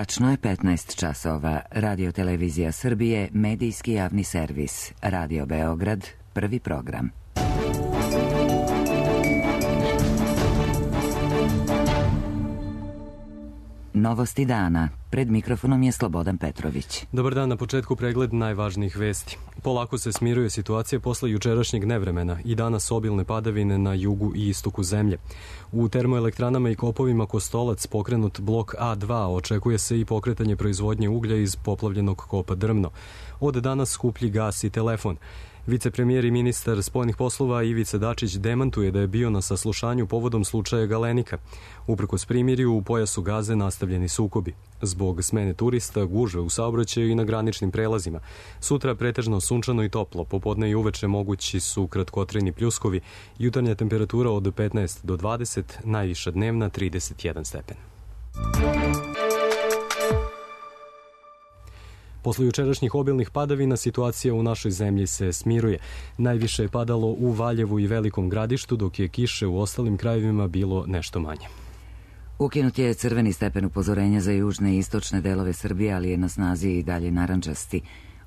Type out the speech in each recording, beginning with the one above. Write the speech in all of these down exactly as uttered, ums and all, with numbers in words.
Tačno je petnaest časova. Radio Televizija Srbije, medijski javni servis. Radio Beograd, prvi program. Novosti dana. Pred mikrofonom je Slobodan Petrović. Dobar dan, na početku pregled najvažnijih vesti. Polako se smiruje situacija posle jučerašnjeg nevremena i danas obilne padavine na jugu i istoku zemlje. U termoelektranama i kopovima Kostolac pokrenut blok A dva, očekuje se i pokretanje proizvodnje uglja iz poplavljenog kopa Drmno. Od danas skuplji gas i telefon. Vicepremijer i ministar spoljnih poslova Ivica Dačić demantuje da je bio na saslušanju povodom slučaja Galenika. Uprkos primirju, u pojasu Gaze nastavljeni sukobi. Zbog smene turista, gužve u saobraćaju i na graničnim prelazima. Sutra pretežno sunčano i toplo, popodne i uveče mogući su kratkotrajni pljuskovi, jutarnja temperatura od petnaest do dvadeset, najviša dnevna trideset jedan stepen. Posle jučerašnjih obilnih padavina situacija u našoj zemlji se smiruje. Najviše je padalo u Valjevu i Velikom Gradištu, dok je kiše u ostalim krajevima bilo nešto manje. Ukinut je crveni stepen upozorenja za južne i istočne delove Srbije, ali je na snazi i dalje narandžasti.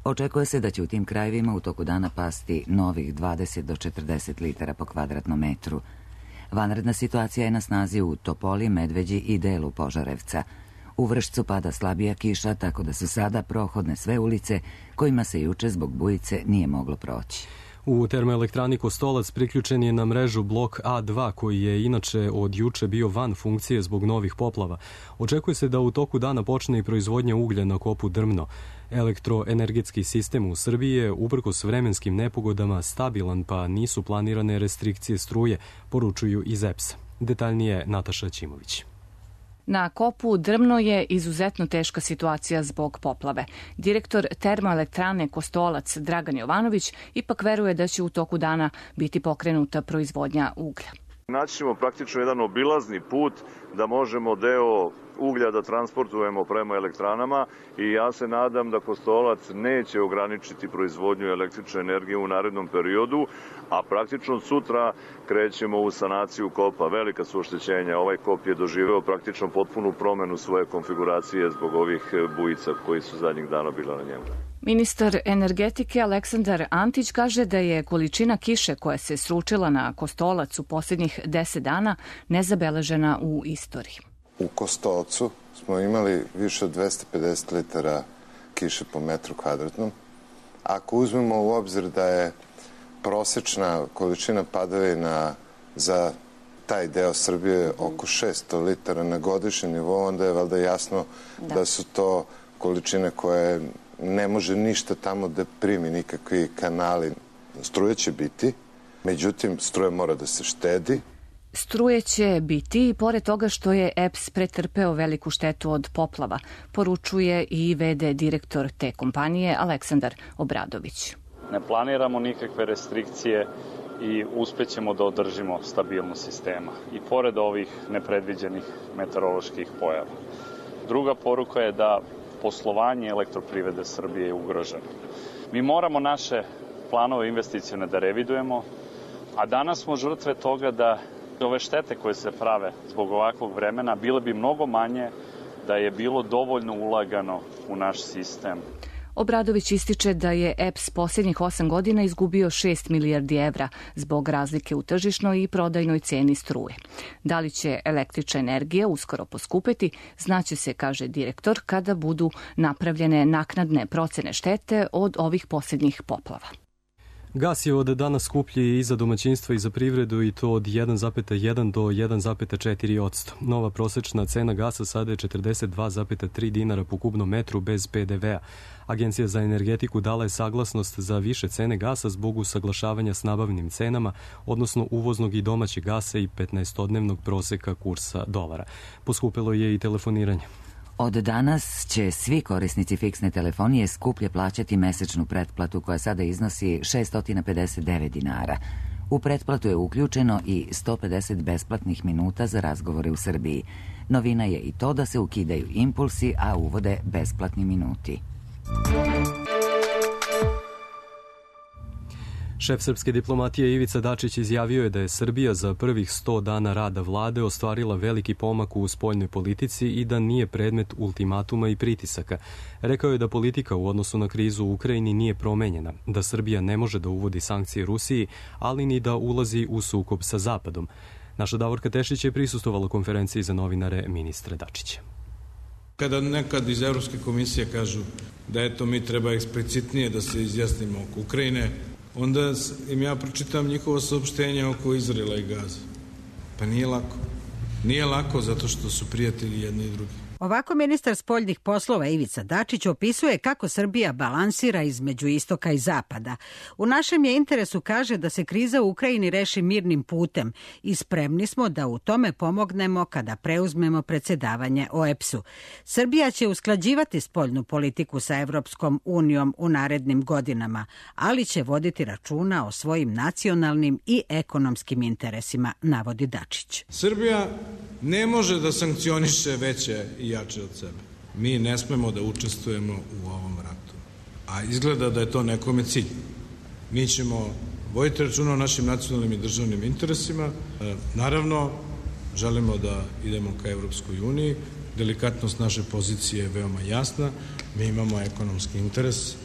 Očekuje se da će u tim krajevima u toku dana pasti novih dvadeset do četrdeset litara po kvadratnom metru. Vanredna situacija je na snazi u Topoli, Medveđi i delu Požarevca. U Vršcu pada slabija kiša, tako da su sada prohodne sve ulice kojima se juče zbog bujice nije moglo proći. U termoelektrani Kostolac priključen je na mrežu blok A dva, koji je inače od juče bio van funkcije zbog novih poplava. Očekuje se da u toku dana počne i proizvodnja uglja na kopu Drmno. Elektroenergetski sistem u Srbiji je, uprkos vremenskim nepogodama, stabilan, pa nisu planirane restrikcije struje, poručuju iz E P S-a. Detaljnije Nataša Ćimović. Na kopu Drmno je izuzetno teška situacija zbog poplave. Direktor termoelektrane Kostolac Dragan Jovanović ipak veruje da će u toku dana biti pokrenuta proizvodnja uglja. Naći ćemo praktično jedan obilazni put da možemo deo uglja da transportujemo prema elektranama i ja se nadam da Kostolac neće ograničiti proizvodnju električne energije u narednom periodu, a praktično sutra krećemo u sanaciju kopa. Velika su oštećenja. Ovaj kop je doživeo praktično potpunu promenu svoje konfiguracije zbog ovih bujica koji su zadnjih dana bila na njemu. Ministar energetike Aleksandar Antić kaže da je količina kiše koja se sručila na Kostolac u posljednjih deset dana nezabeležena u istoriji. U Kostolcu smo imali više od dvesta pedeset litara kiše po metru kvadratnom. Ako uzmemo u obzir da je prosečna količina padavina za taj deo Srbije oko šesto litara na godišnjem nivou, onda je valjda jasno da, da su to količine koje ne može ništa tamo da primi, nikakvi kanali. Struje će biti, međutim struje mora da se štedi. Struje će biti i pored toga što je E P S pretrpeo veliku štetu od poplava, poručuje i ve de direktor te kompanije Aleksandar Obradović. Ne planiramo nikakve restrikcije i uspećemo da održimo stabilnost sistema i pored ovih nepredviđenih meteoroloških pojava. Druga poruka je da poslovanje elektroprivrede Srbije je ugroženo. Mi moramo naše planove investicione da revidujemo, a danas smo žrtve toga da ove štete koje se prave zbog ovakvog vremena bile bi mnogo manje da je bilo dovoljno ulagano u naš sistem. Obradović ističe da je E P S posljednjih osam godina izgubio šest milijardi evra zbog razlike u tržišnoj i prodajnoj ceni struje. Da li će električna energija uskoro poskupeti, znaće se, kaže direktor, kada budu napravljene naknadne procene štete od ovih posljednjih poplava. Gas je od danas skuplji i za domaćinstva i za privredu i to od jedan zarez jedan do jedan zarez četiri posto. Nova prosečna cena gasa sada je četrdeset dva zarez tri dinara po kubnom metru bez pe de vea. Agencija za energetiku dala je saglasnost za više cene gasa zbog usaglašavanja s nabavnim cenama, odnosno uvoznog i domaćeg gasa i petnaestodnevnog proseka kursa dolara. Poskupelo je i telefoniranje. Od danas će svi korisnici fiksne telefonije skuplje plaćati mesečnu pretplatu koja sada iznosi šesto pedeset devet dinara. U pretplatu je uključeno i sto pedeset besplatnih minuta za razgovore u Srbiji. Novina je i to da se ukidaju impulsi, a uvode besplatni minuti. Šef srpske diplomatije Ivica Dačić izjavio je da je Srbija za prvih sto dana rada vlade ostvarila veliki pomak u spoljnoj politici i da nije predmet ultimatuma i pritisaka. Rekao je da politika u odnosu na krizu u Ukrajini nije promenjena, da Srbija ne može da uvodi sankcije Rusiji, ali ni da ulazi u sukob sa Zapadom. Naša Davorka Tešić je prisustvovala konferenciji za novinare ministra Dačića. Kada nekad iz Evropske komisije kažu da eto mi treba eksplicitnije da se izjasnimo oko Ukrajine, onda im ja pročitam njihovo saopštenje oko Izraela i Gaze. Pa nije lako. Nije lako zato što su prijatelji jedni i drugi. Ovako ministar spoljnih poslova Ivica Dačić opisuje kako Srbija balansira između istoka i zapada. U našem je interesu, kaže, da se kriza u Ukrajini reši mirnim putem i spremni smo da u tome pomognemo kada preuzmemo predsedavanje O E P S-u. Srbija će usklađivati spoljnu politiku sa Evropskom unijom u narednim godinama, ali će voditi računa o svojim nacionalnim i ekonomskim interesima, navodi Dačić. Srbija ne može da sankcioniše veće i jače od sebe. Mi ne smemo da učestvujemo u ovom ratu. A izgleda da je to nekome cilj. Mi ćemo voditi računa o našim nacionalnim i državnim interesima. Naravno, želimo da idemo ka Evropskoj uniji. Delikatnost naše pozicije je veoma jasna. Mi imamo ekonomski interes.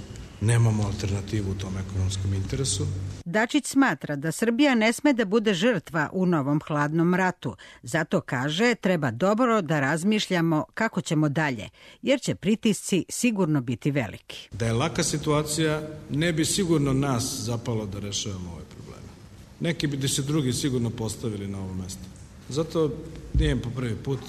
Nemamo alternativu u tom ekonomskom interesu. Dačić smatra da Srbija ne sme da bude žrtva u novom hladnom ratu. Zato kaže, treba dobro da razmišljamo kako ćemo dalje, jer će pritisci sigurno biti veliki. Da je laka situacija, ne bi sigurno nas zapalo da rešavamo ove probleme. Neki bi se drugi sigurno postavili na ovo mesto. Zato nije po prvi put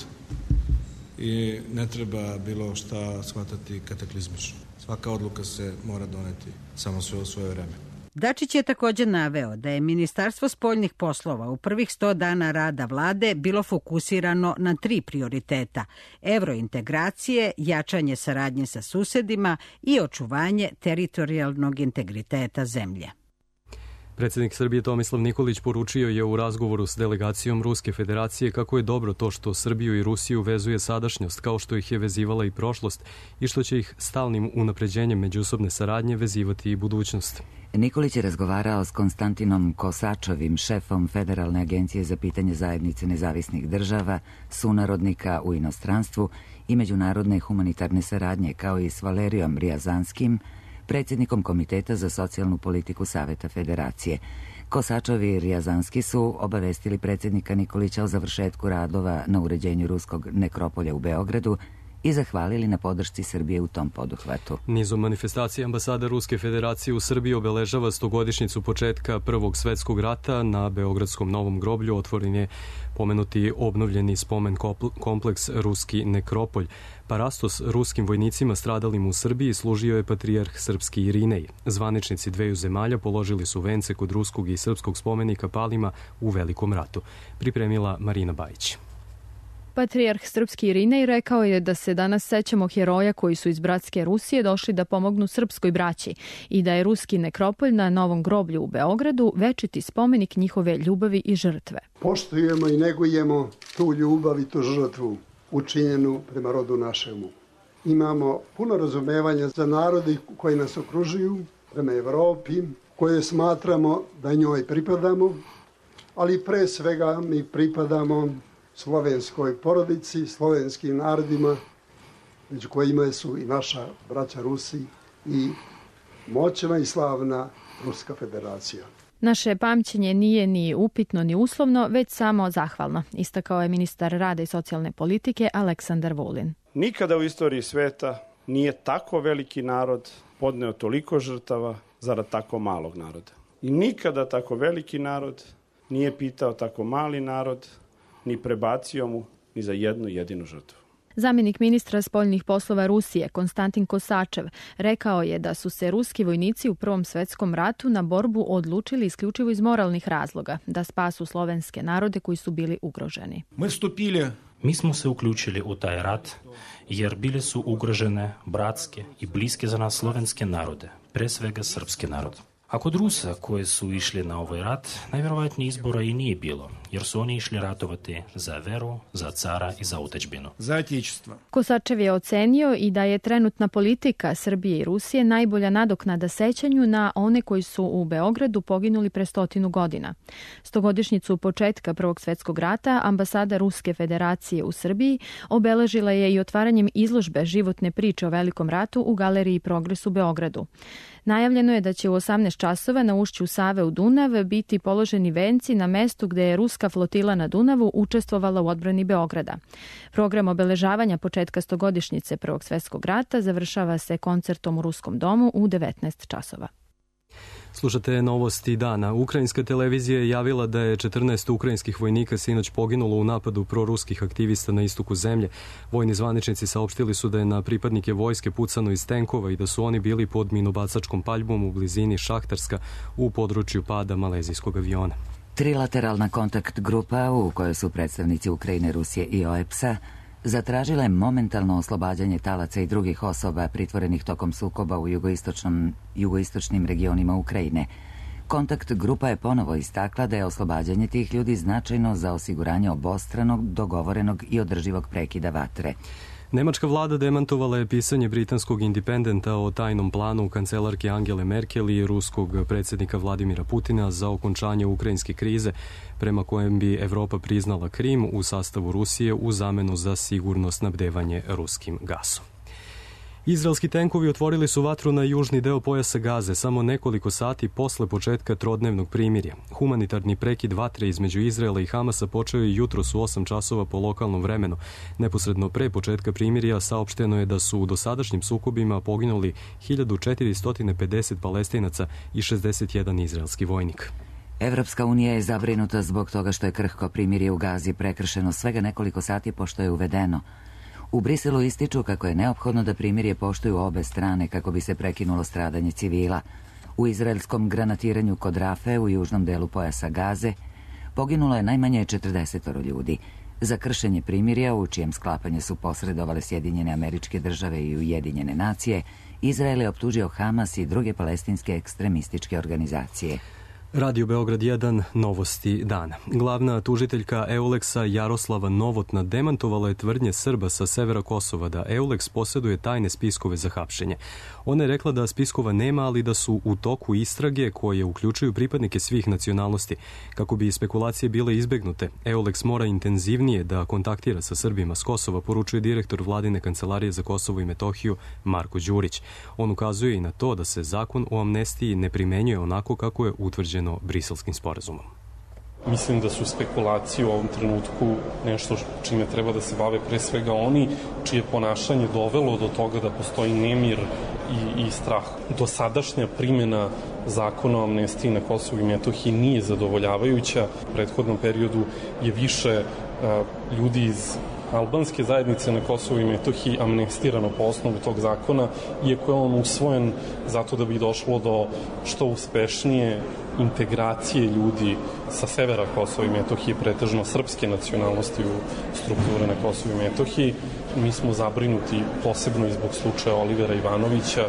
i ne treba bilo šta shvatati kataklizmično. Svaka odluka se mora doneti samo sve u svoje vreme. Dačić je također naveo da je Ministarstvo spoljnih poslova u prvih sto dana rada vlade bilo fokusirano na tri prioriteta: evrointegracije, jačanje saradnje sa susedima i očuvanje teritorijalnog integriteta zemlje. Predsjednik Srbije Tomislav Nikolić poručio je u razgovoru s delegacijom Ruske federacije kako je dobro to što Srbiju i Rusiju vezuje sadašnjost kao što ih je vezivala i prošlost i što će ih stalnim unapređenjem međusobne saradnje vezivati i budućnost. Nikolić je razgovarao s Konstantinom Kosačovim, šefom Federalne agencije za pitanje zajednice nezavisnih država, sunarodnika u inostranstvu i međunarodne humanitarne saradnje, kao i s Valerijom Rijazanskim, predsjednikom Komiteta za socijalnu politiku Saveta Federacije. Kosačovi i Rijazanski su obavestili predsjednika Nikolića o završetku radova na uređenju ruskog nekropolja u Beogradu i zahvalili na podršci Srbije u tom poduhvatu. Nizom manifestacija ambasada Ruske federacije u Srbiji obeležava stogodišnjicu početka Prvog svetskog rata. Na Beogradskom Novom groblju otvoren je pomenuti obnovljeni spomen kompleks Ruski nekropolj. Parastos ruskim vojnicima stradalim u Srbiji služio je patrijarh srpski Irinej. Zvaničnici dveju zemalja položili su vence kod ruskog i srpskog spomenika palima u Velikom ratu. Pripremila Marina Bajić. Patrijarh srpski Irinej rekao je da se danas sećamo heroja koji su iz bratske Rusije došli da pomognu srpskoj braći i da je ruski nekropolj na Novom groblju u Beogradu večiti spomenik njihove ljubavi i žrtve. Poštujemo i negujemo tu ljubav i tu žrtvu učinjenu prema rodu našemu. Imamo puno razumevanja za narodi koji nas okružuju, prema Evropi, koje smatramo da njoj pripadamo, ali pre svega mi pripadamo slovenskoj porodici, slovenskim narodima, među kojima su i naša braća Rusi i moćna i slavna Ruska federacija. Naše pamćenje nije ni upitno ni uslovno, već samo zahvalno, istakao je ministar rada i socijalne politike Aleksandar Vulin. Nikada u istoriji sveta nije tako veliki narod podneo toliko žrtava zarad tako malog naroda. I nikada tako veliki narod nije pitao tako mali narod, ni prebacio mu ni za jednu jedinu žrtvu. Zamjenik ministra spoljnih poslova Rusije, Konstantin Kosačev, rekao je da su se ruski vojnici u Prvom svetskom ratu na borbu odlučili isključivo iz moralnih razloga, da spasu slovenske narode koji su bili ugroženi. Mi smo se uključili u taj rat jer bile su ugrožene bratske i bliske za nas slovenske narode, pre svega srpske narode. A kod Rusa koji su išli na ovaj rat, najvjerovatnije izbora i nije bilo, jer su oni išli ratovati za veru, za cara i za otadžbinu. Za otečestvo. Kosačev je ocenio i da je trenutna politika Srbije i Rusije najbolja nadoknada sećanju na one koji su u Beogradu poginuli pre stotinu godina. Stogodišnjicu početka Prvog svetskog rata ambasada Ruske federacije u Srbiji obeležila je i otvaranjem izložbe životne priče o Velikom ratu u Galeriji Progres u Beogradu. Najavljeno je da će u osamnaest časova na ušću Save u Dunav biti položeni venci na mestu gde je ruska flotila na Dunavu učestvovala u odbrani Beograda. Program obeležavanja početka stogodišnjice Prvog svetskog rata završava se koncertom u Ruskom domu u devetnaest časova. Slušate novosti dana. Ukrajinska televizija je javila da je četrnaest ukrajinskih vojnika sinoć poginulo u napadu proruskih aktivista na istoku zemlje. Vojni zvaničnici saopštili su da je na pripadnike vojske pucano iz tenkova i da su oni bili pod minobacačkom paljbom u blizini Šahtarska u području pada malezijskog aviona. Trilateralna kontakt grupa u kojoj su predstavnici Ukrajine, Rusije i O E P S-a zatražila je momentalno oslobađanje talaca i drugih osoba pritvorenih tokom sukoba u jugoistočnom, jugoistočnim regionima Ukrajine. Kontakt grupa je ponovo istakla da je oslobađanje tih ljudi značajno za osiguranje obostranog, dogovorenog i održivog prekida vatre. Nemačka vlada demantovala je pisanje britanskog Independenta o tajnom planu kancelarke Angele Merkel i ruskog predsjednika Vladimira Putina za okončanje ukrajinske krize, prema kojem bi Evropa priznala Krim u sastavu Rusije u zamenu za sigurno snabdevanje ruskim gasom. Izraelski tenkovi otvorili su vatru na južni deo pojasa Gaze samo nekoliko sati posle početka trodnevnog primirja. Humanitarni prekid vatre između Izraela i Hamasa počeo je jutros u osam časova po lokalnom vremenu. Neposredno pre početka primirja saopšteno je da su u dosadašnjim sukobima poginuli hiljadu četiristo pedeset Palestinaca i šezdeset jedan izraelski vojnik. Evropska unija je zabrinuta zbog toga što je krhko primirje u Gazi prekršeno svega nekoliko sati pošto je uvedeno. U Briselu ističu kako je neophodno da primirje poštuju obe strane kako bi se prekinulo stradanje civila. U izraelskom granatiranju kod Rafe u južnom delu pojasa Gaze poginulo je najmanje četrdeset ljudi. Za kršenje primirja, u čijem sklapanje su posredovale Sjedinjene Američke Države i Ujedinjene nacije, Izrael je optužio Hamas i druge palestinske ekstremističke organizacije. Radio Beograd jedan, novosti dana. Glavna tužiteljka Euleksa Jaroslava Novotna demantovala je tvrdnje Srba sa severa Kosova da Euleks posjeduje tajne spiskove za hapšenje. Ona je rekla da spiskova nema, ali da su u toku istrage koje uključuju pripadnike svih nacionalnosti. Kako bi spekulacije bile izbegnute, Euleks mora intenzivnije da kontaktira sa Srbima s Kosova, poručuje direktor Vladine kancelarije za Kosovo i Metohiju Marko Đurić. On ukazuje i na to da se zakon o amnestiji ne primenjuje onako kako je utvrđen Briselskim sporazumom. Mislim da su spekulacije u ovom trenutku nešto čime treba da se bave pre svega oni čije ponašanje dovelo do toga da postoji nemir i, i strah. Dosadašnja primjena zakona o amnestiji na Kosovu i Metohiji nije zadovoljavajuća. U prethodnom periodu je više a, ljudi iz albanske zajednice na Kosovu i Metohiji amnestirano po osnovu tog zakona, iako je on usvojen zato da bi došlo do što uspešnije integracije ljudi sa severa Kosova i Metohije, pretežno srpske nacionalnosti u strukture na Kosovu i Metohiji. Mi smo zabrinuti posebno i zbog slučaja Olivera Ivanovića.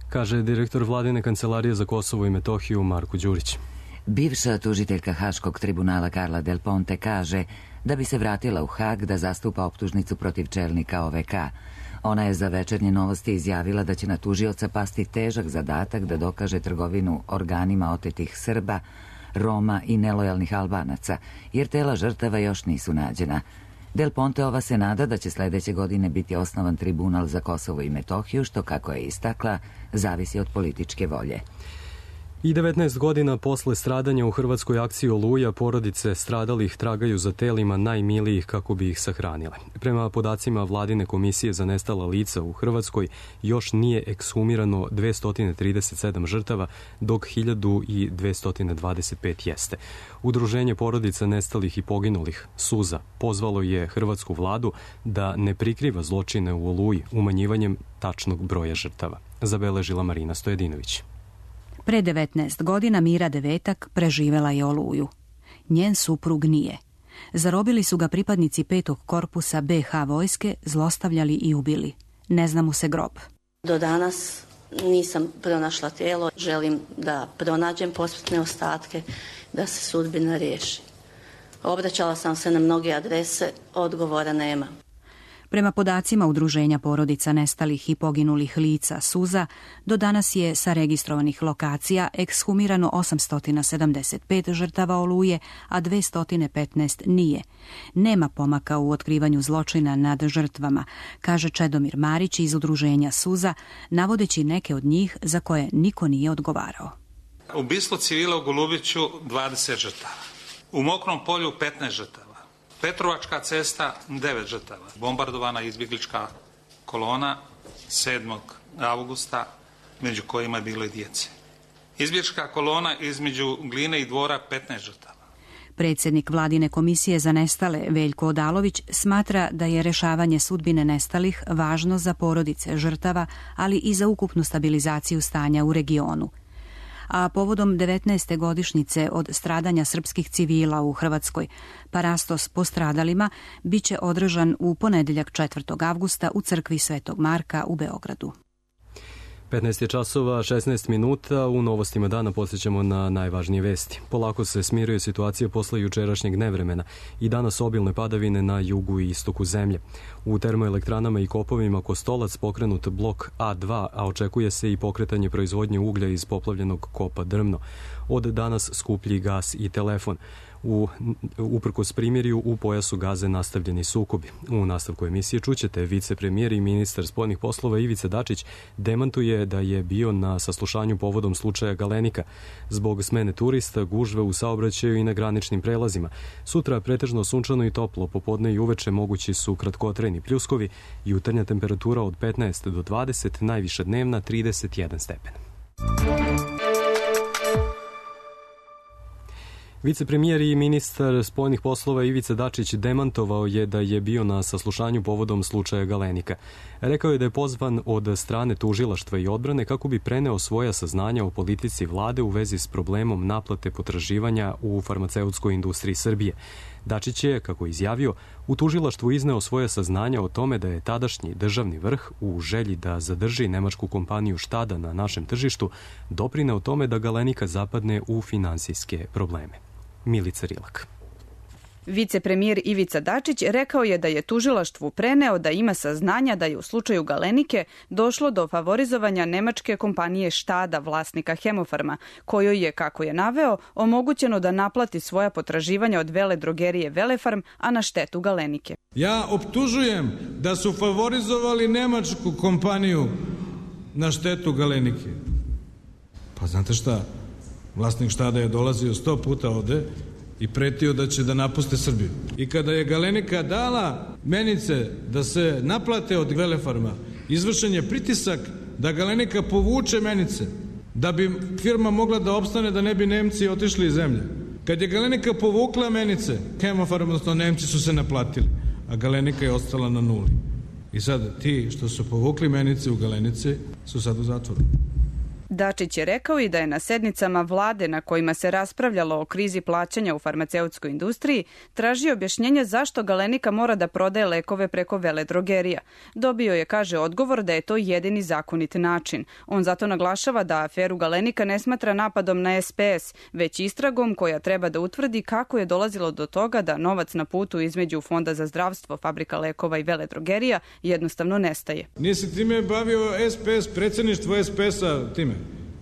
Kaže direktor Vladine kancelarije za Kosovo i Metohiju Marko Đurić. Bivša tužiteljka Haškog tribunala Carla Del Ponte kaže da bi se vratila u Hag da zastupa optužnicu protiv čelnika O V K. Ona je za Večernje novosti izjavila da će na tužioca pasti težak zadatak da dokaže trgovinu organima otetih Srba, Roma i nelojalnih Albanaca, jer tela žrtava još nisu nađena. Del Ponteova se nada da će sledeće godine biti osnovan tribunal za Kosovo i Metohiju, što, kako je istakla, zavisi od političke volje. I devetnaest godina posle stradanja u hrvatskoj akciji Oluja, porodice stradalih tragaju za telima najmilijih kako bi ih sahranile. Prema podacima Vladine komisije za nestala lica u Hrvatskoj, još nije ekshumirano dvesta trideset sedam žrtava, dok hiljadu dvesta dvadeset pet jeste. Udruženje porodica nestalih i poginulih, Suza, pozvalo je hrvatsku vladu da ne prikriva zločine u Oluji umanjivanjem tačnog broja žrtava. Zabeležila Marina Stojedinović. Pre devetnaest godina Mira Devetak preživela je Oluju. Njen suprug nije. Zarobili su ga pripadnici petog korpusa B H vojske, zlostavljali i ubili. Ne zna mu se grob. Do danas nisam pronašla tijelo. Želim da pronađem posmrtne ostatke, da se sudbina riješi. Obraćala sam se na mnoge adrese, odgovora nema. Prema podacima Udruženja porodica nestalih i poginulih lica Suza, do danas je sa registrovanih lokacija ekshumirano osamsto sedamdeset pet žrtava Oluje, a dvesta petnaest nije. Nema pomaka u otkrivanju zločina nad žrtvama, kaže Čedomir Marić iz Udruženja Suza, navodeći neke od njih za koje niko nije odgovarao. Ubistvo civila u Golubiću dvadeset žrtava, u Mokrom polju petnaest žrtava. Petrovačka cesta, devet žrtava. Bombardovana izbjeglička kolona sedmog avgusta, među kojima je bilo i djece. Izbjeglička kolona između Gline i Dvora, petnaest žrtava. Predsjednik Vladine komisije za nestale, Veljko Odalović, smatra da je rešavanje sudbine nestalih važno za porodice žrtava, ali i za ukupnu stabilizaciju stanja u regionu. A povodom devetnaeste godišnjice od stradanja srpskih civila u Hrvatskoj, parastos postradalima biće održan u ponedjeljak četvrtog avgusta u crkvi Svetog Marka u Beogradu. petnaest je časova, šesnaest minuta, u novostima dana podsjećamo na najvažnije vesti. Polako se smiruje situacija posle jučerašnjeg nevremena i danas obilne padavine na jugu i istoku zemlje. U termoelektranama i kopovima Kostolac pokrenut blok A dva, a očekuje se i pokretanje proizvodnje uglja iz poplavljenog kopa Drmno. Od danas skuplji gas i telefon. U, uprkos primirju u pojasu Gaze nastavljeni sukobi. U nastavku emisije čućete vicepremijer i ministar spoljnih poslova Ivica Dačić demantuje da je bio na saslušanju povodom slučaja Galenika. Zbog smene turista, gužve u saobraćaju i na graničnim prelazima. Sutra pretežno sunčano i toplo, popodne i uveče mogući su kratkotrajni pljuskovi, jutarnja temperatura od petnaest do dvadeset, najviša dnevna trideset jedan stepen. Vicepremijer i ministar spoljnih poslova Ivica Dačić demantovao je da je bio na saslušanju povodom slučaja Galenika. Rekao je da je pozvan od strane tužilaštva i odbrane kako bi preneo svoja saznanja o politici vlade u vezi s problemom naplate potraživanja u farmaceutskoj industriji Srbije. Dačić je, kako je izjavio, u tužilaštvu izneo svoje saznanja o tome da je tadašnji državni vrh u želji da zadrži nemačku kompaniju Štada na našem tržištu doprineo tome da Galenika zapadne u finansijske probleme. Milica Rilak. Vicepremijer Ivica Dačić rekao je da je tužilaštvu preneo da ima saznanja da je u slučaju Galenike došlo do favorizovanja nemačke kompanije Štada, vlasnika Hemofarma, kojoj je, kako je naveo, omogućeno da naplati svoja potraživanja od vele drogerije Velefarm, a na štetu Galenike. Ja optužujem da su favorizovali nemačku kompaniju na štetu Galenike. Pa znate šta, vlasnik Štada je dolazio sto puta ovde i pretio da će da napuste Srbiju. I kada je Galenika dala menice da se naplate od Velefarma, izvršen je pritisak da Galenika povuče menice, da bi firma mogla da opstane, da ne bi Nemci otišli iz zemlje. Kad je Galenika povukla menice, Hemofarm, odnosno Nemci su se naplatili, a Galenika je ostala na nuli. I sad ti što su povukli menice u Galenici su sad u zatvoru. Dačić je rekao i da je na sednicama vlade na kojima se raspravljalo o krizi plaćanja u farmaceutskoj industriji tražio objašnjenje zašto Galenika mora da prodaje lekove preko veledrogerija. Dobio je, kaže, odgovor da je to jedini zakonit način. On zato naglašava da aferu Galenika ne smatra napadom na S P S, već istragom koja treba da utvrdi kako je dolazilo do toga da novac na putu između Fonda za zdravstvo, fabrika lekova i veledrogerija jednostavno nestaje. Nije se time bavio S P S, predsjedništvo S P S-a time.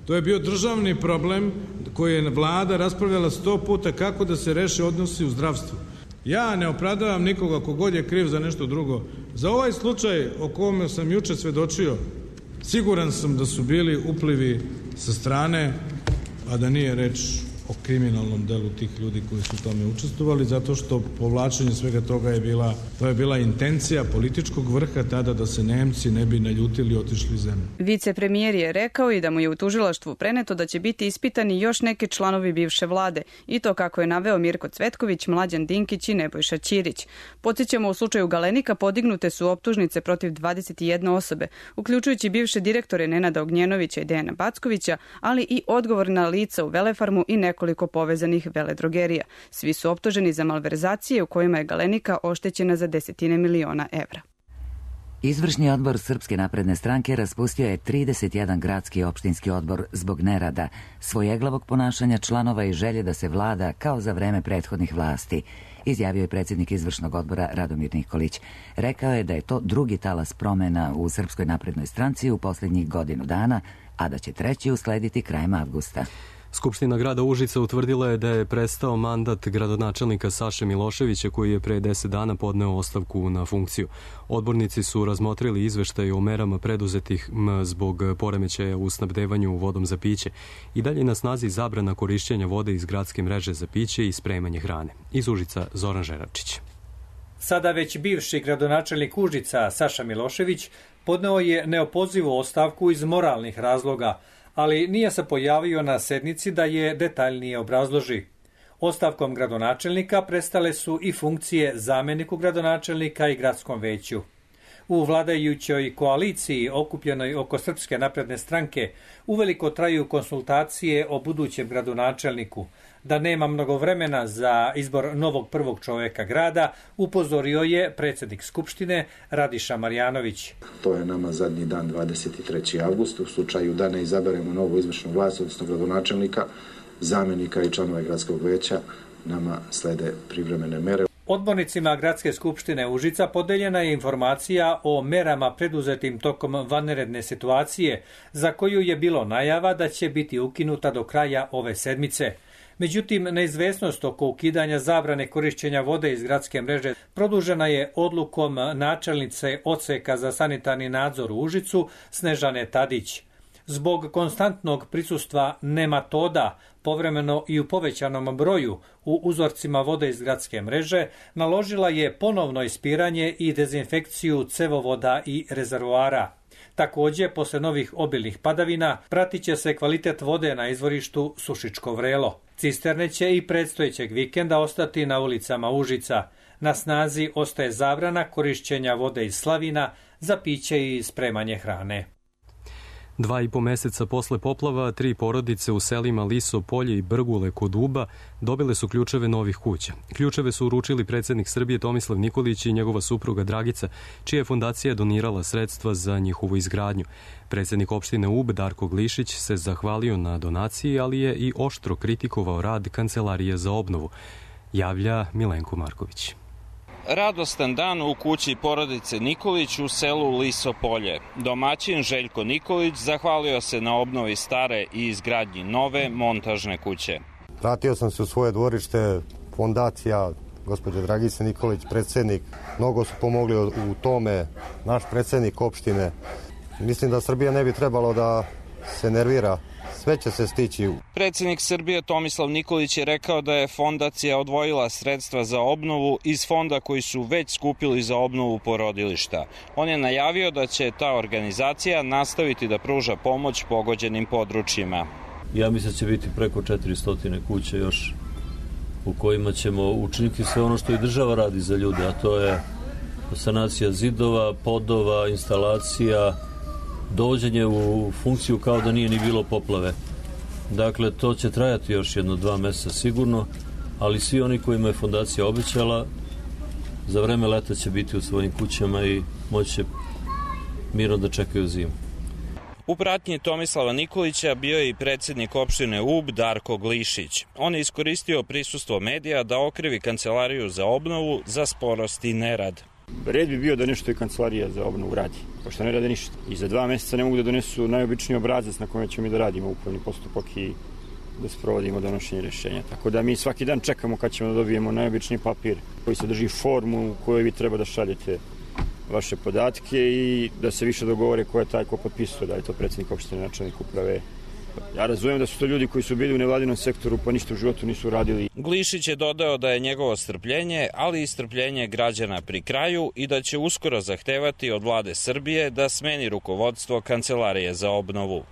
To je bio državni problem koji je vlada raspravljala sto puta kako da se reše odnosi u zdravstvu. Ja ne opravdavam nikoga kogod je kriv za nešto drugo. Za ovaj slučaj o kome sam juče svedočio, siguran sam da su bili uplivi sa strane, a da nije reč o kriminalnom delu tih ljudi koji su u tome učestvovali, zato što povlačenje svega toga je bila, to je bila intencija političkog vrha tada da se Nemci ne bi naljutili i otišli iz zemlje. Vicepremijer je rekao i da mu je u tužilaštvu preneto da će biti ispitani još neki članovi bivše vlade, i to kako je naveo Mirko Cvetković, Mlađan Dinkić i Nebojša Ćirić. Podsjećamo, u slučaju Galenika podignute su optužnice protiv dvadeset jedne osobe, uključujući bivše direktore Nenada Ognjenovića i Dejana Backovića, ali i odgovorna lica u Velefarmu i nekoliko povezanih veledrogerija. Svi su optuženi za malverzacije u kojima je Galenika oštećena za desetine miliona evra. Izvršni odbor Srpske napredne stranke raspustio je trideset jedan gradski i opštinski odbor zbog nerada, svojeglavog ponašanja članova i želje da se vlada kao za vreme prethodnih vlasti, izjavio je predsjednik izvršnog odbora Radomir Nikolić. Rekao je da je to drugi talas promjena u Srpskoj naprednoj stranci u posljednjih godinu dana, a da će treći uslediti krajem avgusta. Skupština grada Užica utvrdila je da je prestao mandat gradonačelnika Saše Miloševića, koji je pre deset dana podneo ostavku na funkciju. Odbornici su razmotrili izveštaj o merama preduzetih zbog poremećaja u snabdevanju vodom za piće. I dalje na snazi zabrana korišćenja vode iz gradske mreže za piće i spremanje hrane. Iz Užica Zoran Žeračić. Sada već bivši gradonačelnik Užica Saša Milošević podneo je neopozivu ostavku iz moralnih razloga, ali nije se pojavio na sednici da je detaljnije obrazloži. Ostavkom gradonačelnika prestale su i funkcije zamjeniku gradonačelnika i gradskom veću. U vladajućoj koaliciji okupljenoj oko Srpske napredne stranke uveliko traju konsultacije o budućem gradonačelniku. Da nema mnogo vremena za izbor novog prvog čovjeka grada, upozorio je predsjednik Skupštine Radiša Marjanović. To je nama zadnji dan dvadeset treći avgust. U slučaju da ne izaberemo novu izvršnu vlast, odnosno gradonačelnika, zamjenika i članova gradskog veća, nama slede privremene mere. Odbornicima Gradske skupštine Užica podeljena je informacija o merama preduzetim tokom vanredne situacije, za koju je bilo najava da će biti ukinuta do kraja ove sedmice. Međutim, neizvesnost oko ukidanja zabrane korišćenja vode iz gradske mreže produžena je odlukom načelnice odseka za sanitarni nadzor u Užicu Snežane Tadić. Zbog konstantnog prisustva nematoda, povremeno i u povećanom broju u uzorcima vode iz gradske mreže, naložila je ponovno ispiranje i dezinfekciju cevovoda i rezervoara. Također, posle novih obilnih padavina, pratit će se kvalitet vode na izvorištu Sušičko Vrelo. Cisterne će i predstojećeg vikenda ostati na ulicama Užica. Na snazi ostaje zabrana korišćenja vode iz slavina za piće i spremanje hrane. Dva i po meseca posle poplava, tri porodice u selima Liso Polje i Brgule kod Uba dobile su ključeve novih kuća. Ključeve su uručili predsjednik Srbije Tomislav Nikolić i njegova supruga Dragica, čija je fondacija donirala sredstva za njihovu izgradnju. Predsjednik opštine Ub Darko Glišić se zahvalio na donaciji, ali je i oštro kritikovao rad Kancelarije za obnovu, javlja Milenko Marković. Radostan dan u kući porodice Nikolić u selu Liso Polje. Domaćin Željko Nikolić zahvalio se na obnovi stare i izgradnji nove montažne kuće. Vratio sam se u svoje dvorište, fondacija, gospođa Dragica Nikolić, predsjednik. Mnogo su pomogli u tome, naš predsjednik opštine. Mislim da Srbija ne bi trebalo da se nervira. Sve će se stići. Predsjednik Srbije Tomislav Nikolić je rekao da je fondacija odvojila sredstva za obnovu iz fonda koji su već skupili za obnovu porodilišta. On je najavio da će ta organizacija nastaviti da pruža pomoć pogođenim područjima. Ja mislim da će biti preko četiristo kuća još u kojima ćemo učiniti sve ono što i država radi za ljude, a to je sanacija zidova, podova, instalacija, dovođenje u funkciju kao da nije ni bilo poplave. Dakle, to će trajati još jedno dva mjeseca sigurno, ali svi oni kojima je fondacija obećala, za vreme leta će biti u svojim kućama i moći će mirno da čekaju zimu. U pratnji Tomislava Nikolića bio je i predsjednik opštine Ub Darko Glišić. On je iskoristio prisustvo medija da okrivi Kancelariju za obnovu za sporost i nerad. Red bi bio da nešto i Kancelarija za obnovu radi, pošto ne rade ništa. I za dva mjeseca ne mogu da donesu najobičniji obrazac na kojem ćemo mi da radimo upravni postupak i da sprovodimo donošenje rješenja. Tako da mi svaki dan čekamo kad ćemo da dobijemo najobičniji papir koji sadrži formu u kojoj vi treba da šaljete vaše podatke i da se više dogovore ko je taj ko potpisuje, da je to predsjednik opštine, načelnik uprave. Ja razumijem da su to ljudi koji su bili u nevladinom sektoru pa ništa u životu nisu radili. Glišić je dodao da je njegovo strpljenje, ali i strpljenje građana pri kraju i da će uskoro zahtevati od vlade Srbije da smeni rukovodstvo Kancelarije za obnovu.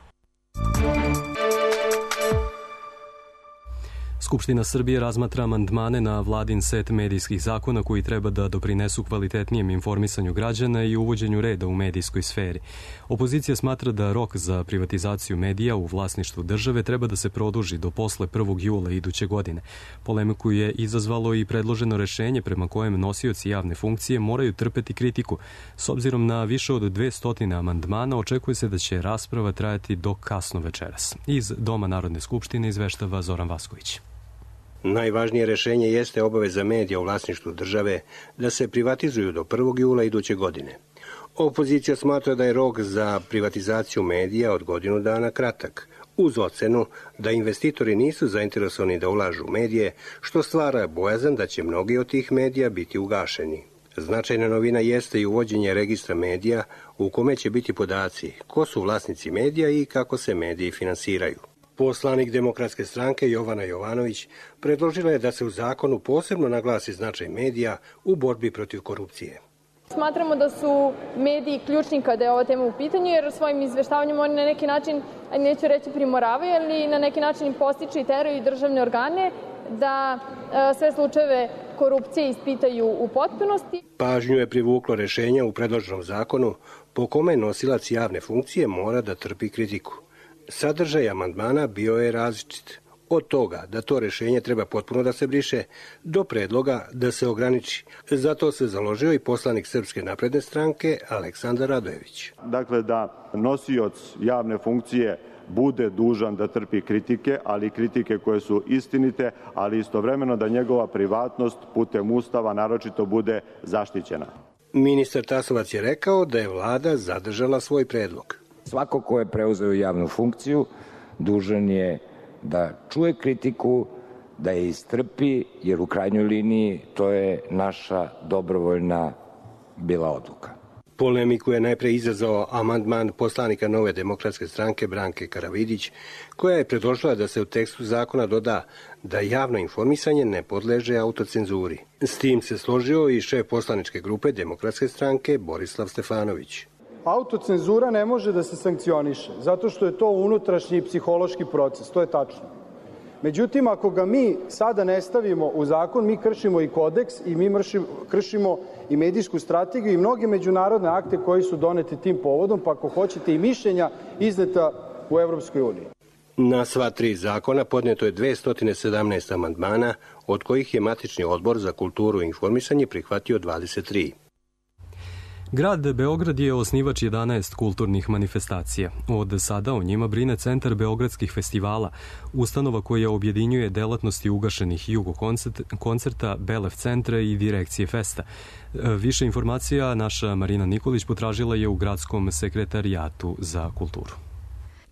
Skupština Srbije razmatra amandmane na vladin set medijskih zakona koji treba da doprinesu kvalitetnijem informisanju građana i uvođenju reda u medijskoj sferi. Opozicija smatra da rok za privatizaciju medija u vlasništvu države treba da se produži do posle prvog jula iduće godine. Polemiku je izazvalo i predloženo rešenje prema kojem nosioci javne funkcije moraju trpeti kritiku. S obzirom na više od dvesta amandmana, očekuje se da će rasprava trajati do kasno večeras. Iz Doma Narodne skupštine izveštava Zoran Vasković. Najvažnije rešenje jeste obaveza medija u vlasništvu države da se privatizuju do prvog jula iduće godine. Opozicija smatra da je rok za privatizaciju medija od godinu dana kratak, uz ocenu da investitori nisu zainteresovani da ulažu u medije, što stvara bojazan da će mnogi od tih medija biti ugašeni. Značajna novina jeste i uvođenje registra medija u kome će biti podaci ko su vlasnici medija i kako se mediji finansiraju. Poslanik Demokratske stranke Jovana Jovanović predložila je da se u zakonu posebno naglasi značaj medija u borbi protiv korupcije. Smatramo da su mediji ključni kada je ova tema u pitanju, jer svojim izveštavanjem oni na neki način, neću reći primoravaju, ali na neki način postiču i teraju državne organe da sve slučajeve korupcije ispitaju u potpunosti. Pažnju je privuklo rešenje u predloženom zakonu po kome nosilac javne funkcije mora da trpi kritiku. Sadržaj amandmana bio je različit. Od toga da to rešenje treba potpuno da se briše, do predloga da se ograniči. Zato se založio i poslanik Srpske napredne stranke Aleksandar Radojević. Dakle, da nosioc javne funkcije bude dužan da trpi kritike, ali kritike koje su istinite, ali istovremeno da njegova privatnost putem Ustava naročito bude zaštićena. Ministar Tasovac je rekao da je vlada zadržala svoj predlog. Svako ko je preuzeo javnu funkciju dužan je da čuje kritiku, da je istrpi, jer u krajnjoj liniji to je naša dobrovoljna bila odluka. Polemiku je najpre izazvao amandman poslanika Nove demokratske stranke Branke Karavidić, koja je predložila da se u tekstu zakona doda da javno informisanje ne podleže autocenzuri. S tim se složio i šef poslaničke grupe Demokratske stranke Borislav Stefanović. Autocenzura ne može da se sankcioniše, zato što je to unutrašnji psihološki proces, to je tačno. Međutim, ako ga mi sada ne stavimo u zakon, mi kršimo i kodeks i mi kršimo i medijsku strategiju i mnoge međunarodne akte koji su doneti tim povodom, pa ako hoćete i mišljenja izneta u Evropskoj uniji. Na sva tri zakona podneto je dvesta sedamnaest amandmana, od kojih je matični odbor za kulturu i informisanje prihvatio dvadeset tri. Grad Beograd je osnivač jedanaest kulturnih manifestacija. Od sada o njima brine Centar beogradskih festivala, ustanova koja objedinjuje delatnosti ugašenih Jugo koncerta, Belev centra i direkcije Festa. Više informacija naša Marina Nikolić potražila je u Gradskom sekretarijatu za kulturu.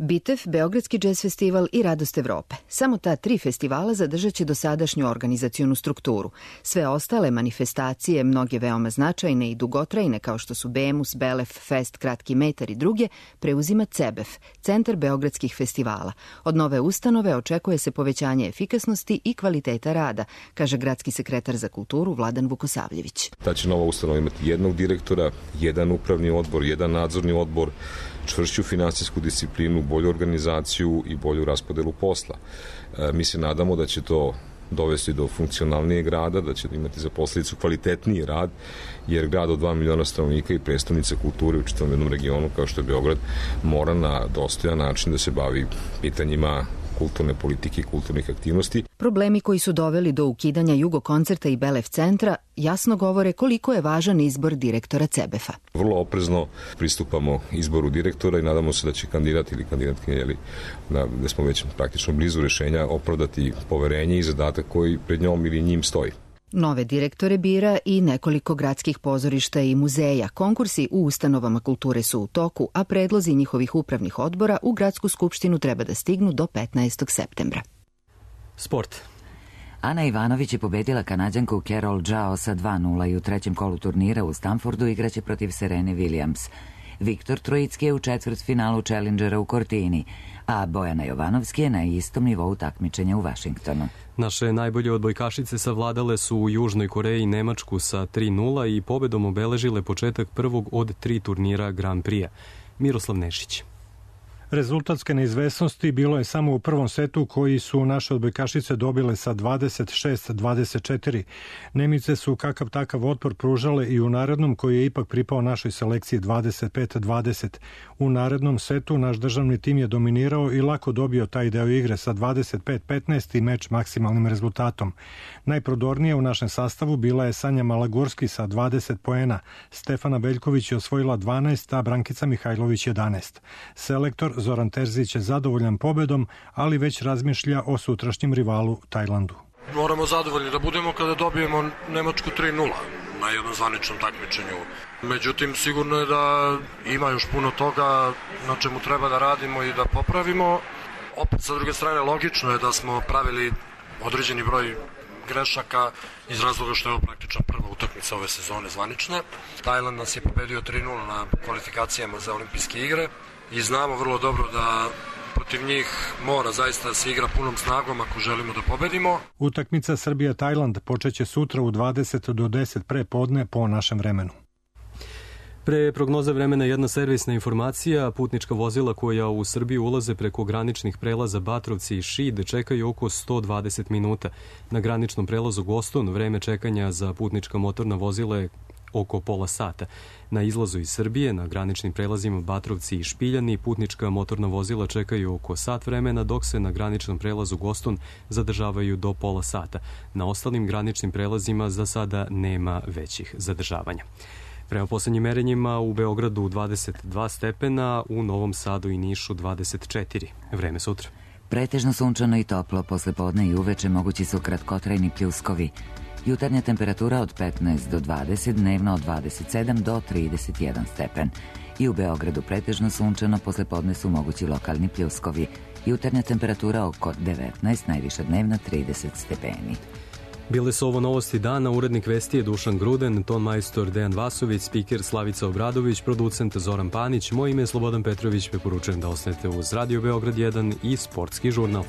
Bitev, Beogradski džez festival i Radost Evrope. Samo ta tri festivala zadržat će dosadašnju organizacionu strukturu. Sve ostale manifestacije, mnoge veoma značajne i dugotrajne kao što su Bemus, Belef, Fest, Kratki metar i druge, preuzima CEBEF, Centar beogradskih festivala. Od nove ustanove očekuje se povećanje efikasnosti i kvaliteta rada, kaže gradski sekretar za kulturu Vladan Vukosavljević. Ta će nova ustanova imati jednog direktora, jedan upravni odbor, jedan nadzorni odbor, čvršću finansijsku disciplinu, bolju organizaciju i bolju raspodelu posla. E, mi se nadamo da će to dovesti do funkcionalnijeg rada, da će imati za posledicu kvalitetniji rad, jer grad od dva miliona stanovnika i predstavnica kulture u čitavom jednom regionu, kao što je Beograd, mora na dostojan način da se bavi pitanjima kulturne politike i kulturnih aktivnosti. Problemi koji su doveli do ukidanja Jugo koncerta i Belev centra jasno govore koliko je važan izbor direktora CEBEF-a. Vrlo oprezno pristupamo izboru direktora i nadamo se da će kandidat ili kandidatkinja, da smo već praktično blizu rešenja, opravdati poverenje i zadatak koji pred njom ili njim stoji. Nove direktore bira i nekoliko gradskih pozorišta i muzeja. Konkursi u ustanovama kulture su u toku, a predlozi njihovih upravnih odbora u Gradsku skupštinu treba da stignu do petnaestog septembra. Sport. Ana Ivanović je pobedila Kanađanku Carol Zhao sa dva nula i u trećem kolu turnira u Stamfordu igraće protiv Serene Williams. Viktor Trojicki je u četvrtfinalu Challengera u Cortini, a Bojana Jovanovski je na istom nivou takmičenja u Vašingtonu. Naše najbolje odbojkašice savladale su u Južnoj Koreji Nemačku sa tri nula i pobedom obeležile početak prvog od tri turnira Grand Prix-a. Miroslav Nešić. Rezultatske neizvesnosti bilo je samo u prvom setu koji su naše odbojkašice dobile sa dvadeset šest dvadeset četiri. Nemice su kakav takav otpor pružale i u narednom koji je ipak pripao našoj selekciji dvadeset pet dvadeset. U narednom setu naš državni tim je dominirao i lako dobio taj deo igre sa dvadeset pet petnaest i meč maksimalnim rezultatom. Najprodornije u našem sastavu bila je Sanja Malagurski sa dvadeset poena, Stefana Beljković je osvojila dvanaest, a Brankica Mihajlović jedanaest. Selektor Zoran Terzić je zadovoljan pobedom, ali već razmišlja o sutrašnjem rivalu Tajlandu. Moramo zadovoljni da budemo kada dobijemo Nemačku tri nula na jednom zvaničnom takmičenju. Međutim, sigurno je da ima još puno toga na čemu treba da radimo i da popravimo. Opet, sa druge strane, logično je da smo pravili određeni broj grešaka iz razloga što je ovo praktično prva utakmica ove sezone zvanična. Tajland nas je pobedio tri nula na kvalifikacijama za olimpijske igre i znamo vrlo dobro da protiv njih mora zaista da se igra punom snagom ako želimo da pobedimo. Utakmica Srbija-Tajland počeće sutra u dvadeset do deset pre podne po našem vremenu. Pre prognoze vremena jedna servisna informacija. Putnička vozila koja u Srbiju ulaze preko graničnih prelaza Batrovci i Šid čekaju oko sto dvadeset minuta. Na graničnom prelazu Goston vreme čekanja za putnička motorna vozila je oko pola sata. Na izlazu iz Srbije, na graničnim prelazima Batrovci i Špiljani, putnička motorna vozila čekaju oko sat vremena, dok se na graničnom prelazu Goston zadržavaju do pola sata. Na ostalim graničnim prelazima za sada nema većih zadržavanja. Prema poslednjim merenjima u Beogradu dvadeset dva stepena, u Novom Sadu i Nišu dvadeset četiri. Vreme sutra. Pretežno sunčano i toplo, posle podne i uveče mogući su kratkotrajni pljuskovi. Jutarnja temperatura od petnaest do dvadeset, dnevno od dvadeset sedam do trideset jedan stepen. I u Beogradu pretežno sunčano, posle podne su mogući lokalni pljuskovi. Jutarnja temperatura oko devetnaest, najviša dnevna trideset stepeni. Bile su ovo novosti dana, urednik vesti je Dušan Gruden, ton majstor Dejan Vasović, spiker Slavica Obradović, producent Zoran Panić, moj ime je Slobodan Petrović, preporučujem da ostanete uz Radio Beograd jedan i Sportski žurnal.